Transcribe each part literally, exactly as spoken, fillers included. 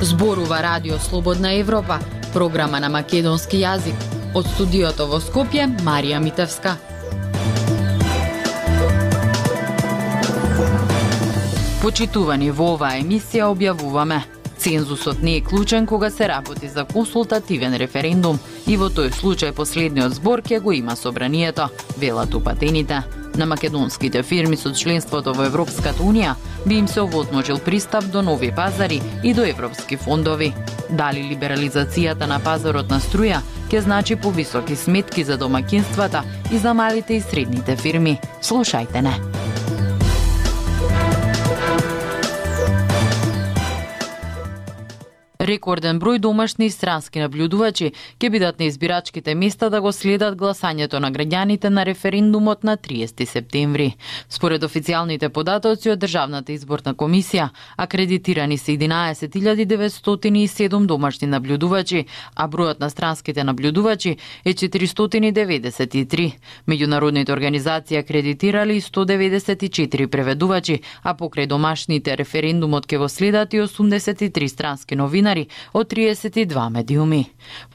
Зборува Радио Слободна Европа, програма на македонски јазик. Од студиото во Скопје, Марија Митевска. Почитувани, во оваа емисија објавуваме: цензусот не е клучен кога се работи за консултативен референдум и во тој случај последниот збор ќе го има собранието, велат упатените. На македонските фирми со членството во Европската Унија би им се овозможил пристап до нови пазари и до европски фондови. Дали либерализацијата на пазарот на струја ќе значи повисоки сметки за домаќинствата и за малите и средните фирми? Слушајте не. Рекорден број домашни и странски наблюдувачи ќе бидат на избирачките места да го следат гласањето на граѓаните на референдумот на триесети септември. Според официјалните податоци од Државната изборна комисија, акредитирани се единаесет илјади деветстотини и седум домашни наблюдувачи, а бројот на странските наблюдувачи е четиристотини деветдесет и три. Меѓународните организации акредитирали сто деветдесет и четири преведувачи, а покрај домашните референдумот ќе го следат и осумдесет и три странски новинари од триесет и два медиуми.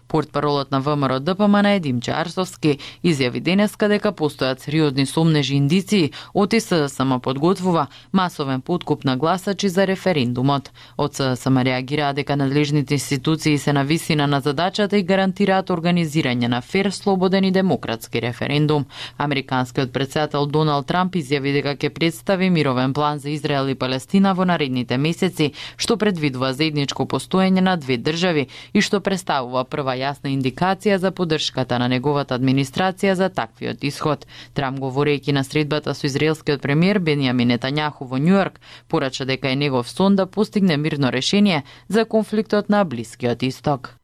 Портпаролот на ВМРО Д П М Н Димче Арсовски изјави денеска дека постојат сериозни сомнежи индиции од С Д С М подготвува масовен подкуп на гласачи за референдумот. Од С Д С М реагираа дека надлежните институции се на висина на задачата и гарантираат организирање на фер, слободен и демократски референдум. Американскиот претседател Доналд Трамп изјави дека ќе представи мировен план за Израел и Палестина во наредните месеци, што предвидува заедничко постоење на две држави и што представува прва јасна индикација за поддршката на неговата администрација за таквиот исход. Трамп, говорејќи на средбата со израелскиот премиер Бенјамин Нетањаху во Њујорк, порача дека е негов сон да постигне мирно решение за конфликтот на Блискиот Исток.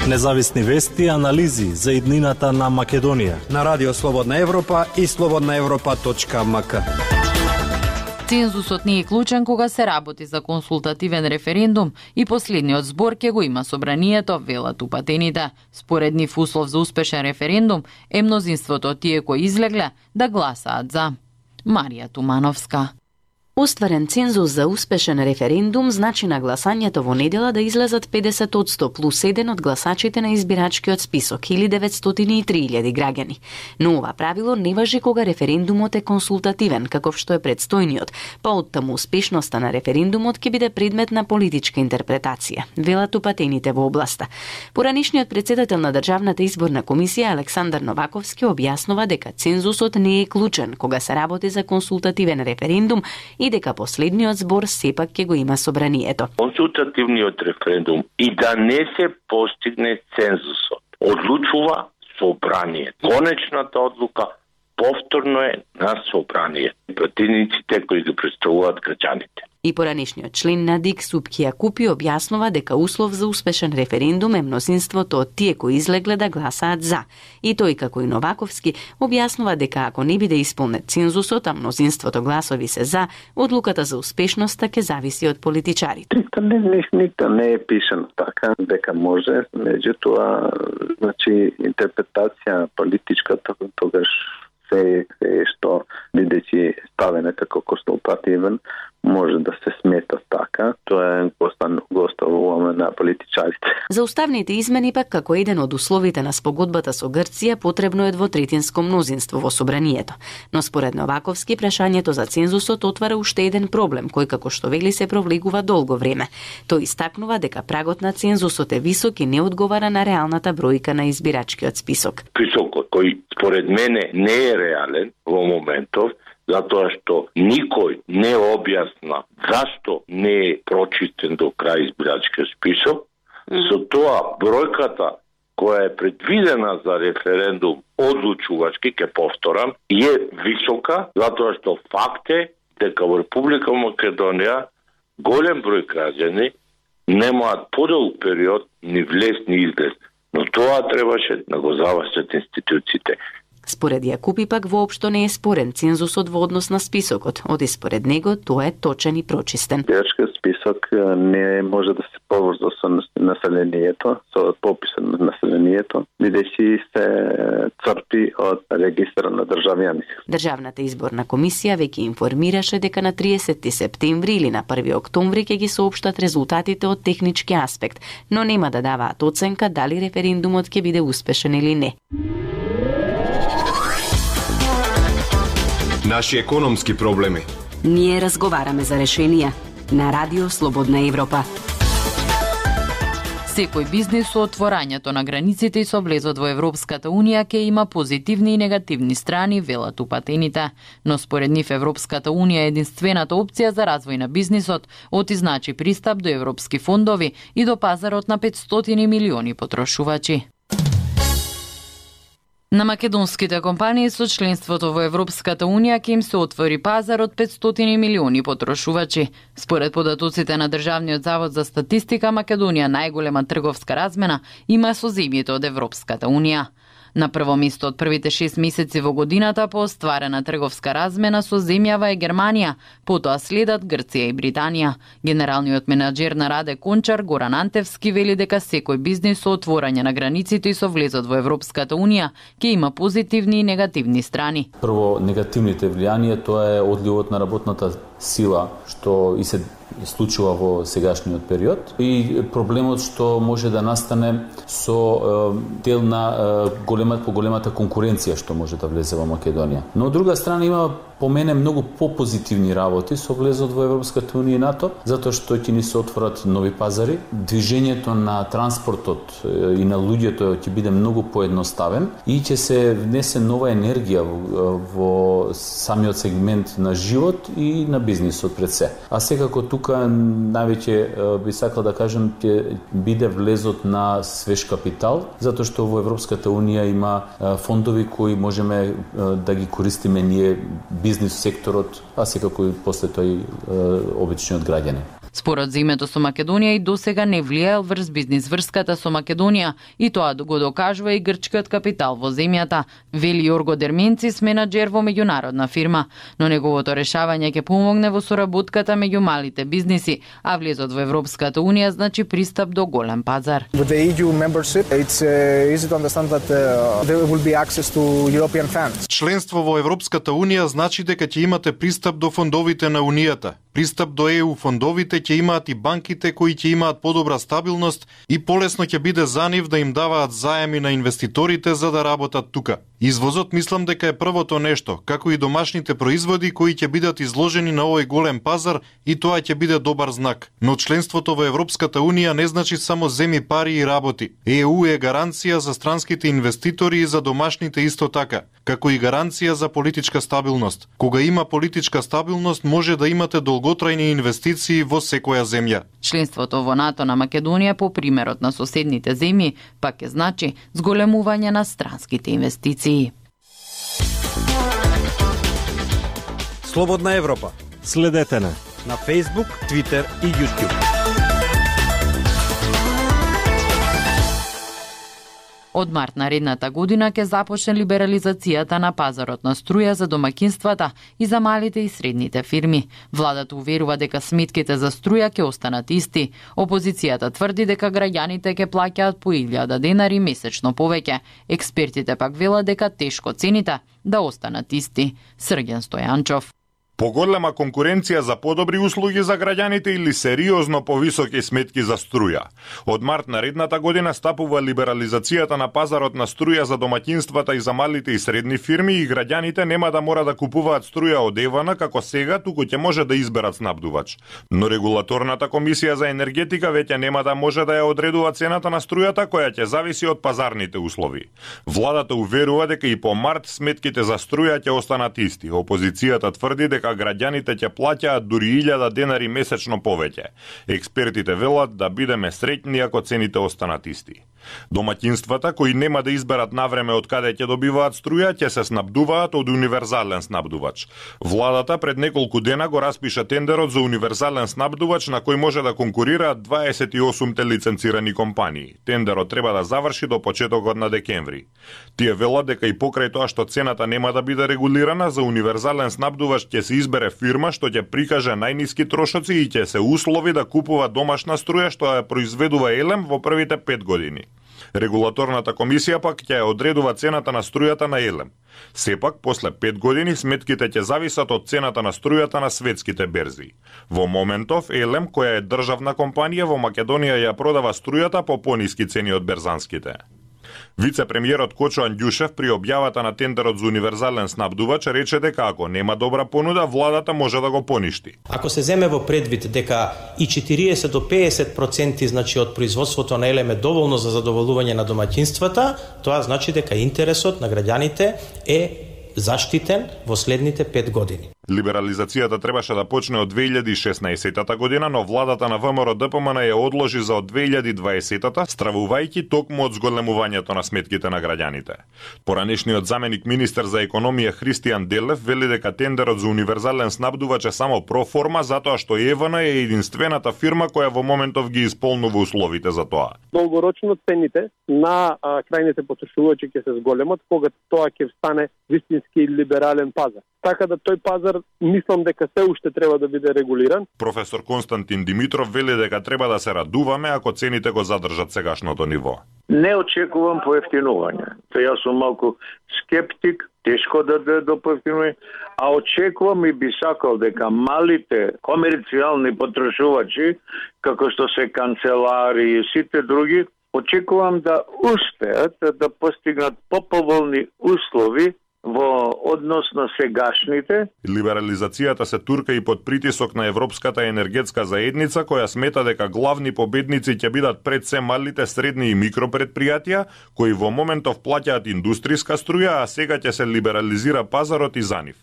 Независни вести и анализи за иднината на Македонија на Радио Слободна Европа и слободна европа точка м к. Цензусот не е клучен кога се работи за консултативен референдум и последниот збор ќе го има собранието, велат упатените. Според нив услов за успешен референдум е мнозинството тие кои излегле да гласаат за. Марија Тумановска. Остварен цензус за успешен референдум значи на гласањето во недела да излезат педесет одсто плюс еден од гласачите на избирачкиот список, илјада деветстотини и три илјади граѓани. Но ова правило не важи кога референдумот е консултативен, каков што е предстојниот, па оттаму успешноста на референдумот ќе биде предмет на политичка интерпретација, велат упатените во областа. Поранишниот претседател на Државната изборна комисија Александар Новаковски објаснува дека цензусот не е клучен кога се работи за консултативен референдум и дека последниот збор сепак ќе го има собранието. Консултативниот референдум и да не се постигне цензусот, одлучува собрание. Конечната одлука повторно е на собрание. Пратениците кои ги представуваат граѓаните. И поранишниот член на ДИК Супки Јакупи објаснува дека услов за успешен референдум е мнозинството од тие кои излегле да гласаат за. И тој, како и Новаковски, објаснува дека ако не биде исполнет цензусот, а мнозинството гласови се за, одлуката за успешноста ќе зависи од политичарите. Не, никто не е пишано така дека може, меѓутоа, значи интерпретација политичка тогаш се е што бидејќи ставена како консултативен може да се смета така. Тоа е гостовуваме на политичарите. За уставните измени пак како еден од условите на спогодбата со Грција потребно е двотретинско мнозинство во собранието. Но според Новаковски прашањето за цензусот отвара уште еден проблем кој како што вели се провлегува долго време. Тој истакнува дека прагот на цензусот е висок и не одговара на реалната бројка на избирачкиот список. Високот кој според мене не е реален во моментов, затоа што никој не објасна зашто не е прочистен до крај избирачкиот список. Mm. Со тоа бројката која е предвидена за референдум одлучувачки, ке повторам, е висока, затоа што факт е дека во Република Македонија голем број граѓани немаат подолг период ни влез ни излез. Но тоа требаше да го завршат институциите. Според Јакупи пак воопшто не е спорен цензусот во однос на списокот, оди според него тоа е точен и прочистен. Избирачкиот список не може да се поврза со населението, со пописот на населението, бидејќи се црпи од регистар на државјани. Државната изборна комисија веќе информираше дека на триесети септември или на први октомври ќе ги соопштат резултатите од технички аспект, но нема да даваат оценка дали референдумот ќе биде успешен или не. Наши економски проблеми. Ние разговараме за решенија на Радио Слободна Европа. Секој бизнес со отворањето на границите и со влезот во Европската Унија ќе има позитивни и негативни страни, велат упатените. Но според нив Европската Унија е единствената опција за развој на бизнисот, оти значи пристап до европски фондови и до пазарот на петстотини милиони потрошувачи. На македонските компании со членството во Европската Унија ќе им се отвори пазар од петстотини милиони потрошувачи. Според податоците на Државниот завод за статистика, Македонија најголема трговска размена има со земјите од Европската Унија. На прво место од првите шест месеци во годината по остварена трговска размена со земјава е Германија, потоа следат Грција и Британија. Генералниот менаџер на Раде Кончар, Горан Антевски, вели дека секој бизнис со отворање на границите и со влезот во Европската Унија ќе има позитивни и негативни страни. Прво, негативните влијанија, тоа е одливот на работната сила, што и се случува во сегашниот период, и проблемот што може да настане со е, дел на е, голема, по големата конкуренција што може да влезе во Македонија. Но од друга страна има по мене многу попозитивни работи со влезот во Европската Унија и НАТО, затоа што ќе ни се отворат нови пазари, движењето на транспортот и на луѓето ќе биде многу поедноставен и ќе се внесе нова енергија во, во самиот сегмент на живот и на бизнисот пред се. А секако тука највеќе би сакал да кажам ќе биде влезот на свеж капитал, затоа што во Европската Унија има фондови кои можеме да ги користиме ние бизнис секторот, а секако и после тој обичниот граѓанин. Според земјето со Македонија и досега не влијаел врз бизнис врската со Македонија, и тоа го докажува и грчкиот капитал во земјата, вели Јорго Дерменцис, менаџер во меѓународна фирма, но неговото решавање ќе помогне во соработката меѓу малите бизниси, а влезот во Европската Унија значи пристап до голем пазар. With the E U membership, it's uh, easy to understand that uh, there will be access to European funds. Членство во Европската Унија значи дека ќе имате пристап до фондовите на Унијата. Пристап до Е У фондовите ќе имаат и банките кои ќе имаат подобра стабилност и полесно ќе биде за нив да им даваат заеми на инвеститорите за да работат тука. Извозот мислам дека е првото нешто, како и домашните производи кои ќе бидат изложени на овој голем пазар, и тоа ќе биде добар знак. Но членството во Европската Унија не значи само земи пари и работи. Е У е гаранција за странските инвеститори и за домашните исто така, како и гаранција за политичка стабилност. Кога има политичка стабилност, може да имате долготрајни инвестиции во секоја земја. Членството во НАТО на Македонија, по примерот на соседните земји, пак е значи зголемување на странските инвестиции. Слободна Европа. Следете на на Facebook, Twitter и YouTube. Од март наредната година ќе започне либерализацијата на пазарот на струја за домакинствата и за малите и средните фирми. Владата уверува дека сметките за струја ќе останат исти. Опозицијата тврди дека граѓаните ќе плаќаат по илјада денари месечно повеќе. Експертите пак велат дека тешко цените да останат исти. Срѓан Стојанчов. Поголема конкуренција за подобри услуги за граѓаните или сериозно повисоки сметки за струја. Од март наредната година стапува либерализацијата на пазарот на струја за домаќинствата и за малите и средни фирми, и граѓаните нема да мора да купуваат струја од Евана како сега, туку ќе може да изберат снабдувач. Но регулаторната комисија за енергетика веќе нема да може да ја одредува цената на струјата, која ќе зависи од пазарните услови. Владата уверува дека и по март сметките за струја ќе останат исти. Опозицијата тврди дека дека граѓаните ќе плаќаат дури илјада денари месечно повеќе. Експертите велат да бидеме среќни ако цените останат исти. Домаќинствата кои нема да изберат навреме од каде ќе добиваат струја, ќе се снабдуваат од универзален снабдувач. Владата пред неколку дена го распиша тендерот за универзален снабдувач на кој може да конкурираат дваесет и осумте лиценцирани компании. Тендерот треба да заврши до почетокот на декември. Тие велат дека и покрај тоа што цената нема да биде регулирана, за универзален снабдувач ќе се избере фирма што ќе прикаже најниски трошоци и ќе се услови да купува домашна струја што ја произведува Елем во првите пет години. Регулаторната комисија пак ќе одредува цената на струјата на Елем. Сепак, после пет години сметките ќе зависат од цената на струјата на светските берзи. Во моментов, Елем, која е државна компанија во Македонија, ја продава струјата по пониски цени од берзанските. Вице-премиерот Кочо Андјушев при објавата на тендерот за универзален снабдувач рече дека ако нема добра понуда, владата може да го поништи. Ако се земе во предвид дека и четириесет до пеесет проценти значи од производството на Елем е доволно за задоволување на домаќинствата, тоа значи дека интересот на граѓаните е заштитен во следните пет години. Либерализацијата требаше да почне од две илјади и шеснаесетта година, но владата на ВМРО Д П М Н ја одложи за од две илјади и дваесетта, стравувајќи токму од зголемувањето на сметките на граѓаните. Поранешниот заменик министер за економија Христијан Делев вели дека тендерот за универзален снабдувач е само проформа затоа што Е В Н е единствената фирма која во моментов ги исполнува условите за тоа. Долгорочно цените на а, крајните потрошувачи ќе се зголемат кога тоа ќе стане вистински либерален пазар. Така да тој пазар мислам дека се уште треба да биде регулиран. Професор Константин Димитров вели дека треба да се радуваме ако цените го задржат сегашното ниво. Не очекувам поевтинување. Тоа јас сум малку скептик, тешко да да до поевтинување, а очекувам и би сакал дека малите комерцијални потрошувачи, како што се канцелари и сите други, очекувам да успеат да постигнат поповолни услови во однос на сегашните. Либерализацијата се турка и под притисок на Европската енергетска заедница, која смета дека главни победници ќе бидат пред се малите, средни и микропредпријатија, кои во моментов плаќаат индустријска струја, а сега ќе се либерализира пазарот и за нив.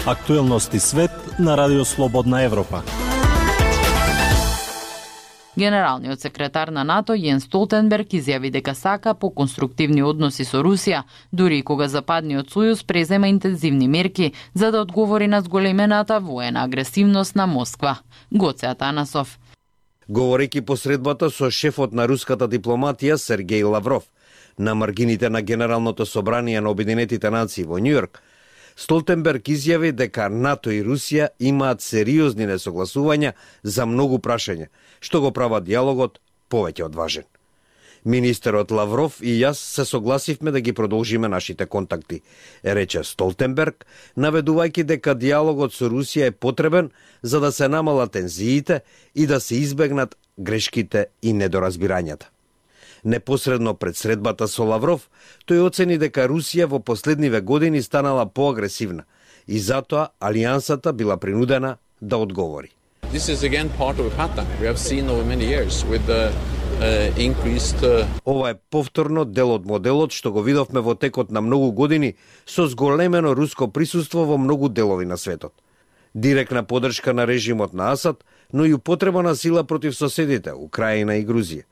Актуелности свет на Радио Слободна Европа. Генералниот секретар на НАТО Јенс Столтенберг изјави дека сака по конструктивни односи со Русија, дури и кога Западниот сојуз презема интензивни мерки за да одговори на зголемената воена агресивност на Москва. Гоце Атанасов. Говорејќи посредбата со шефот на руската дипломатија Сергеј Лавров на маргините на Генералното собрание на Обединетите нации во Њујорк, Столтенберг изјави дека НАТО и Русија имаат сериозни несогласувања за многу прашања, што го прават диалогот повеќе од важен. Министерот Лавров и јас се согласивме да ги продолжиме нашите контакти, рече Столтенберг, наведувајќи дека диалогот со Русија е потребен за да се намалат тензиите и да се избегнат грешките и недоразбирањата. Непосредно пред средбата со Лавров, тој оцени дека Русија во последниве години станала поагресивна и затоа алијансата била принудена да одговори. This is again part of a pattern we have seen over many years with the uh, increased uh... Ова е повторно дел од моделот што го видовме во текот на многу години со зголемено руско присуство во многу делови на светот. Директна поддршка на режимот на Асад, но и употреба на сила против соседите Украина и Грузија.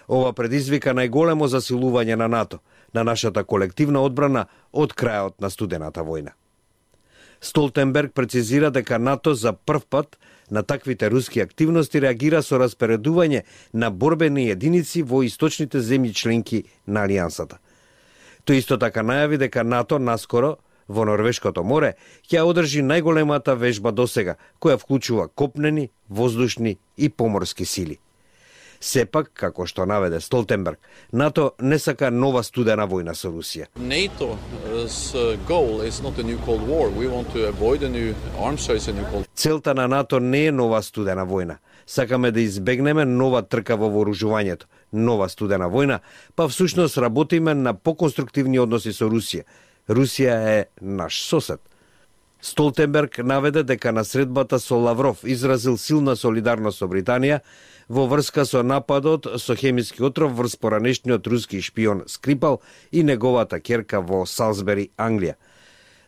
Ова предизвика најголемо засилување на НАТО, на нашата колективна одбрана од крајот на студената војна. Столтенберг прецизира дека НАТО за прв пат на таквите руски активности реагира со распоредување на борбени единици во источните земји членки на алијансата. Тој исто така најави дека НАТО наскоро во Норвешкото море ќе одржи најголемата вежба досега, која вклучува копнени, воздушни и поморски сили. Сепак, како што наведе Столтенберг, НАТО не сака нова студена војна со Русија. Целта на НАТО не е нова студена војна. Сакаме да избегнеме нова трка во вооружувањето, нова студена војна, па всушност работиме на поконструктивни односи со Русија. Русија е наш сосед. Столтенберг наведе дека на средбата со Лавров изразил силна солидарност со Британија во врска со нападот со хемиски отров врз поранешниот руски шпион Скрипал и неговата ќерка во Салсбери, Англија.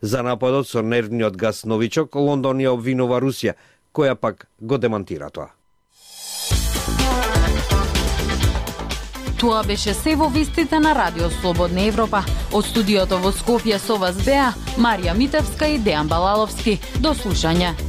За нападот со нервниот газ новичок, Лондон ја обвинува Русија, која пак го демантира тоа. Тоа беше се во вестите на Радио Слободна Европа. Од студиото во Скопје со вас беа Марија Митевска и Дејан Балаловски. До слушање.